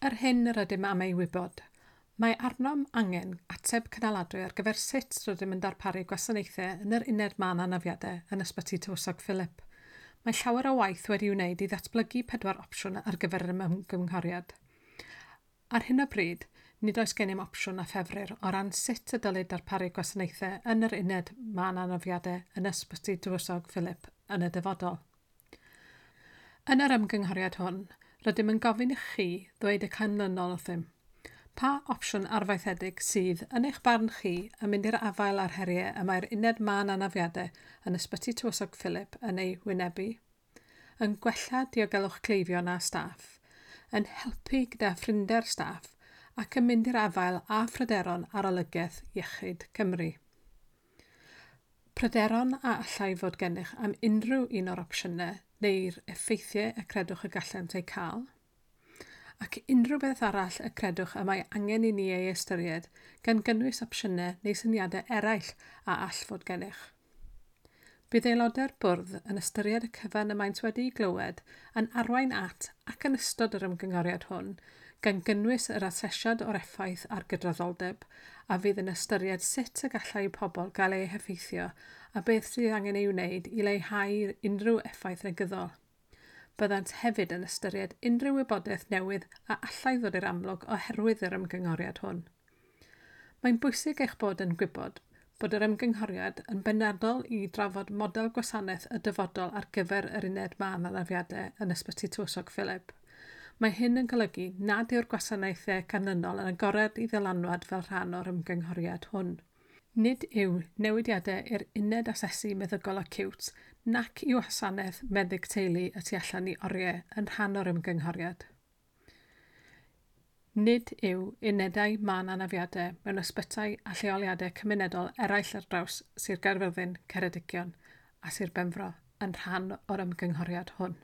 Yr hyn yr ydym am ei wybod. Mae arnom angen ateb cynaladwy ar gyfer sut rydym yn darparu gwasanaethau yn yr uned mân anafiadau yn Ysbyty Tywysog Philip. Mae llawer o waith wedi'i wneud i ddatblygu pedwar opsiwn ar gyfer yr ymgynghoriad. Ar hyn o bryd, nid oes gennym opsiwn a ffefrir o ran sut y dylid darparu gwasanaethau yn yr uned mân anafiadau yn Ysbyty Tywysog Philip yn y dyfodol. Yn yr ymgynghoriad hwn, rydym yn gofyn i chi ddweud y canlynol wrthym. Pa opsiwn arfaethedig sydd, yn eich barn chi, yn mynd i'r afael â'r heriau y mae'r uned mân anafiadau yn Ysbyty Tywysog Philip yn ei wynebu? Yn gwella diogelwch cleifion a staff, yn helpu gyda phrinder staff ac yn mynd i'r afael â phryderon Arolygiaeth Iechyd Cymru. Pryderon a allai fod gennych am unrhyw un o'r opsiynau neu'r effeithiau y credwch y gallent eu cael, ac unrhyw beth arall y credwch y mae angen i ni ei ystyried, gan gynnwys opsiynau neu syniadau eraill a all fod gennych. Bydd aelodau'r bwrdd yn ystyried y cyfan y maent wedi'i glywed yn arwain at ac yn ystod yr ymgynghoriad hwn, gan gynnwys yr asesiad o'r effaith ar gydraddoldeb, a fydd yn ystyried sut y gallai pobl gael eu heffeithio a beth sydd angen ei wneud i leihau unrhyw effaith negyddol. Byddant hefyd yn ystyried unrhyw wybodaeth newydd a allai ddod i'r amlwg oherwydd yr ymgynghoriad hwn. Mae'n bwysig eich bod yn gwybod bod yr ymgynghoriad yn benodol i drafod model gwasanaeth y dyfodol ar gyfer yr uned mân anafiadau yn Ysbyty Tywysog Philip. Mae hyn yn golygu nad yw'r gwasanaethau canlynol yn agored i ddylanwad fel rhan o'r ymgynghoriad hwn. Nid yw newidiadau i'r uned asesu meddygol acíwt nac i wasanaeth meddyg teulu y tu allan i oriau yn rhan o'r ymgynghoriad. Nid yw unedau mân anafiadau mewn ysbytai a lleoliadau cymunedol eraill ar draws Sir Gaerfyrddin, Ceredigion a Sir Benfro yn rhan o'r ymgynghoriad hwn.